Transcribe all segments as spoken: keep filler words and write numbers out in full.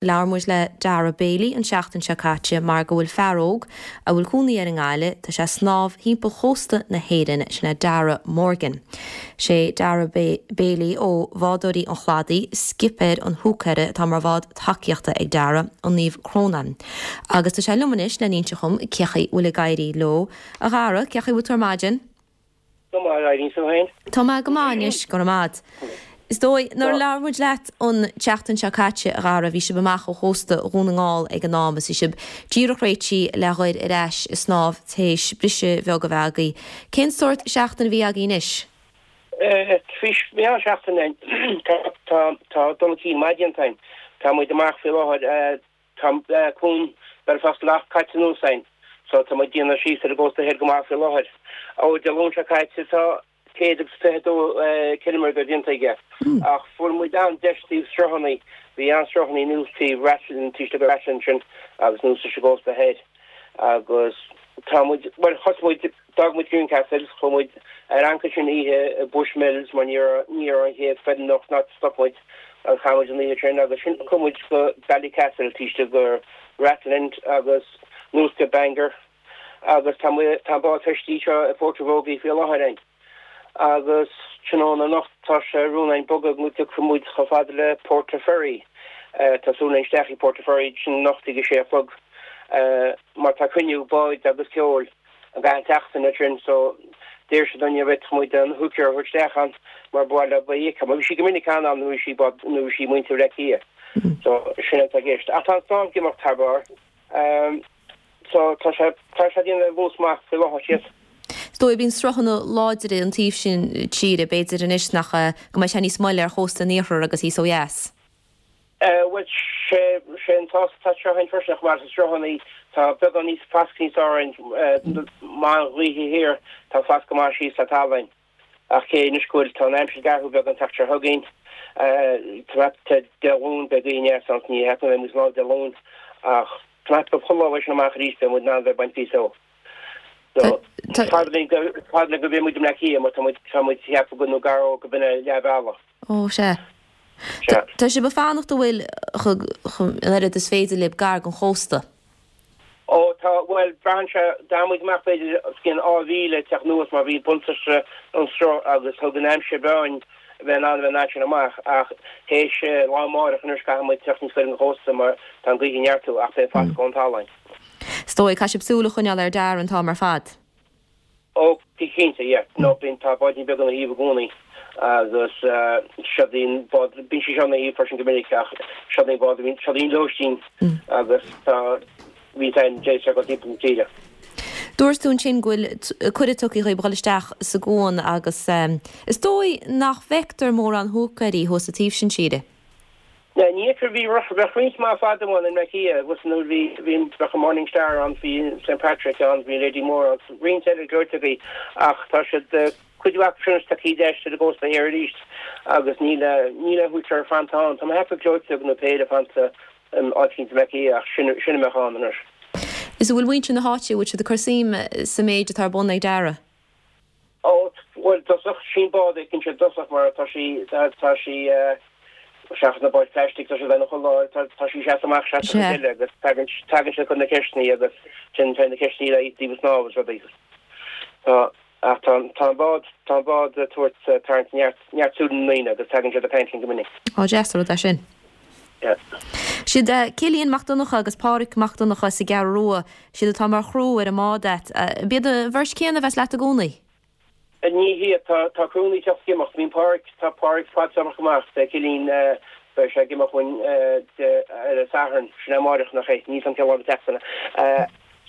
Labhair muid le Dara Bailey an seachtain seo caite mar go bhfuil fear óg a bhfuil cónaí air i nGaillimh tá sé snámh timpeall chósta na hÉireann sin é Dara Morgan. Sé Dara Bailey ó Bhádóirí an Chladaigh, skipper an húicéara atá mar bhád tacaíochta ag Dara an Naomh Crónán. Agus tá sé liom anois le n-inse dhom cén chaoi bhfuil ag éirí leo a Dhara cén chaoi bhfuil tú ar maidin? Tá mé go maith anois go raibh. Is dóigh nuair a labhair muid leat an tseachtain seo caite a Dhara bhí sibh amach ó chósta Dhún na nGall ag an am is bhí sibh díreach réitithe le dhul ar ais ag snámh théis briseadh beag a bheith agaibh. Cén sórt seachtain a bhí agaibh anois? Bhí an-seachtain tá dul chun maith déanta againn. Tá muid amach faoi láthair tá cuan Belfast Lough caite anuas againn, so tá muid déanamh síos ar an gcósta thoir go maith faoi láthair. Ó Dé Luain seo caite tá céad agus fiche dó ciliméadar déanta aige. Ach fuair muid an-deis taobh sruthanna, bhí an-sruthanna anuas taobh Rathlin taobh istigh Rathlin sin agus anuas leis an gcósta thoir. Agus tá muid well thosaigh muid d'fhág muid Greencastle, chuaigh muid ar ancaire sin oíche i Bushmills mar ní raibh ní raibh an chéad feiliúnach ná stop muid agus chaith muid an oíche sin agus sin chuaigh muid go Ballycastle taobh istigh go Rathlin agus anuas go Bangor agus tá tá an bád feistithe seo i Portavogie faoi láthair againn. Agus tráthnóna anocht tá sé rún againn bogadh go dtiocfaidh muid chomh fada le Portaferry. Tá súil againn isteach i Portaferry sin anocht ag a sé a chlog mar tá cruinniú báid agus ceoil an gach seachtain sin so d'iarr siad orainn an bhféadfadh muid an húicéir a thabhairt isteach ann mar bhuel ba íoca mar bhí sí go minic ann ann nuair sí bád nuair sí muintir Bhaile Átha Cliath. So sin atá i gceist. Ach tá an snámh ag imeacht thar barr. Um, so tá sé tá sé déanamh luas maith faoi láthair síos. Is dóigh bíonn sruthanna láidre an taobh sin tíre b'fhéidir anois nach go mbeidh sé níos moille ar chósta an iarthair agus thíos ó dheas. Well sé sé an tá tá seo an freisin mar sa sruthanna tá beagán níos fasc níos árainn má ghaoithe thiar tá fasc go maith síos le talamh. Ach cé anois go bhfuil tá an aimsir ag athrú beag an tseachtain seo chugainn Dé Luain beidh gaoth aneas ní hea muid lá Dé Luain ach tá go chuile leis amach arís beidh muid in ann bheith baint píosa ó. So fad le go bhí muid i mBleá Cliath mar tá muid tá muid ceaptha go nó gar go b'in leath bealach. Ó sé. Tá sibh ag fanacht an bhfuil an oiread is féidir libh gar don chósta. Ó tá well braitheann sé d'fhan muid amach b'fhéidir cinn dhá mhíle teach anuas mar bhí buntáiste an sruth agus thug an aimsir bheáin bheith in ann bheith in sin amach ach théis lá amárach anois caithfidh muid teacht níos gaire don chósta mar tá an ghaoth ag neartú ach beidh fascadh ón talamh. Is dóigh caithfidh sibh súil a choinneáil ar Dara an t-am ar fad. Ó cinnte yeah no bíonn tá báidín beag ina thaobh i gcónaí agus seo an bád bíonn sí seo ina thaobh freisin go minic ach seo an bád bíonn seo an lóistín agus tá bhí an sé go timpeall na tíre. Dúirt tú ansin go bhfuil cuireadh tugtha dhaoibh dul isteach sa gcuan agus is dóigh nach bhfeictear mórán húicéirí thuas sa taobh sin tíre. Ní fheictear bhí bheadh roinnt maith fada amháin in Bleá Cliath agus nuair bhí bhí bheadh an Morning Star ann bhí St Patrick ann bhí Lady Moore ann roinnt eile gleoite ach tá siad cuid mhaith sin tá cídeis a gcósta thiar arís agus níl níl húicéir fanta ann Tá hepa gleoite nó péire fanta áit Bleá Cliath ach sin sin mé an anois. Is bhfuil muintir na háite bhfuil siad ag cur suim sa méid atá ar bun ag Dara. Ó well dosach sin bád cinn sé dosach mar tá sí tá sí seachas na báid plastic tá sé bheith chu tá sí se amach se eile agus tagann tagann sé chun na ceisteanna agus sin fe na ceisteanna le díobh snámh is rudaí. Tá ach tá tá bád tá bád tabhairt tarraingt neart neart súil na ndaoine agus tagann sé de caint go minic. Ó deas rud é sin. Yeah. Siad Cillian Mac Donncha agus Pádraig Mac Donncha sa Ghearr Rua, siad atá mar chriú ar an mbád agat. B'iad an bheirt chéanna a bheas leat i gcónaí. Ní hé tá tá crúnaí teach gimeach bíonn Pádraig tá Pádraig fad amach amach de Cillian beidh sé ag imeacht uainn ar an Satharn sin amárach nach é ní san ceá teachna.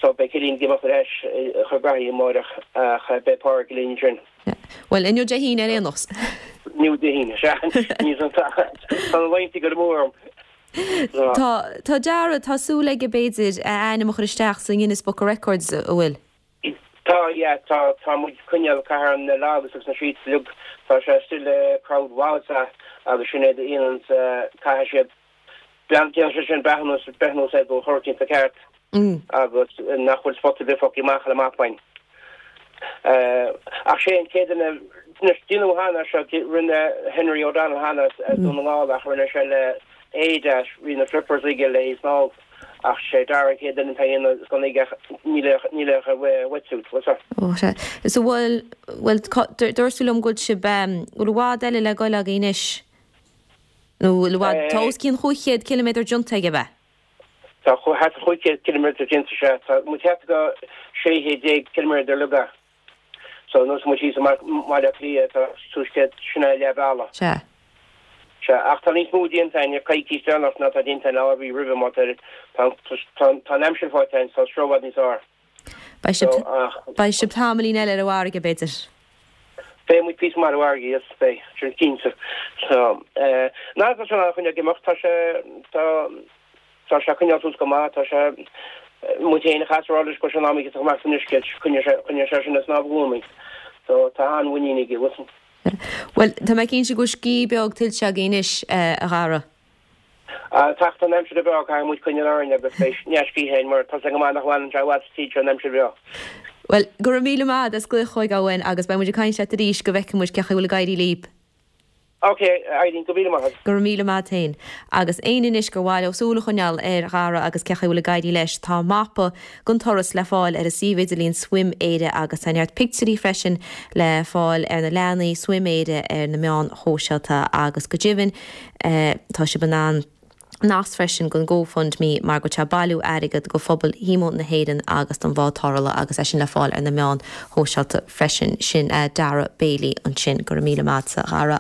So beidh Cillian ag imeacht ar ais chun graithí amárach ach beidh Pádraig linn sin. Well inniu Dé hAoine ar aon nós. Inniu Dé hAoine ní san tá na laethanta go mór. Tá tá Dara tá súil aige b'fhéidir a ainm a chur isteach sa Guinness Book of Records a bhfuil. Tá yeah, tá tá muid coinneáil caitheamh na logs agus na sheets lug tá sé still crowd wowza agus sin é aon caithfidh siad déanann sé sin breathnú breathnú sé go chuirtín sa ceart agus nach bhfuil spota bith fágtha amach le mapain. Ach sé an chéad duine déanadh cheana seo rinne Henry O'Donnell cheana Dún na nGall ach rinne sé le éide bhí na flippers aige le snámh ach sé Dara an chéad duine atá ag gan aige níl níl ach wetsuit what's that? Ó sea. So bhfuil bhfuil dúirt tú liom go bhfuil sibh bhfuil i bhfad eile le goil agaibh anois? Nó bhfuil i bhfad tá os cionn chúig chéad ciliméadar déanta aige ab ea? Tá thart ar chúig chéad ciliméadar déanta sea tá muid thart go sé chéad déag ciliméadar uilig. So nuair muid síos i mBaile Átha Cliath tá suas céad sin é leath bealaigh. Sea. Sea, ach tá níos mó déanta againn ar coicís deireanach ná tá déanta againn lá ar bith roimhe má tá tá an aimsir faighte againn tá seo i bhfad níos fearr. Beidh sibh beidh sibh tamaillín eile ar an bhfarraige b'fhéidir. Beidh muid píosa maith ar an bhfarraige, yes, beidh, sin cinnte. So, eh, ná tá sé ag coinneáil ag imeacht, tá sé tá tá sé ag coinneáil suas go maith, tá sé muid féin a chas rá leis go bhfuil sé in am aige amach san uisce, coinneoidh sé coinneoidh sé sin ag snámh i gcónaí. So tá an-mhuinín aige, bhfuil. Bhuel, tá mé cinnte go bhfuil scíth beag tuillte agaibh anois, a Dhara. Teacht an aimsir bhreá, caithfidh muid coinneáil orainn agus beidh neart scíthe againn mar tá sé go maith nach bhfanann sé i bhfad sa tír seo an aimsir bhreá. Bhuel, go raibh míle maith as glaoch chugainn agus beidh muid ag caint leat arís go bhfeicfidh muid cén chaoi a bhfuil ag éirí libh. Ok, Eileen, go míle maith agat. Go raibh míle maith féin. Agus éinne anois gur mhaith leo súil a choinneáil ar Dhara agus cén chaoi a bhfuil ag éirí leis, tá mapa den turas le fáil ar a suíomh idirlín Swim Éire agus tá neart pictiúirí freisin le fáil ar na leathanaigh Swim Éire ar na meáin shóisialta agus go deimhin tá sibh in ann nasc freisin don GoFundMe mar go bhfuil sé ag bailiú airgead go phobal Shíomó na hÉireann agus don bhád tarrthála agus é sin le fáil ar na meáin shóisialta freisin. Sin Dara Bailey ansin. Go raibh míle maith agatsa a Dhara.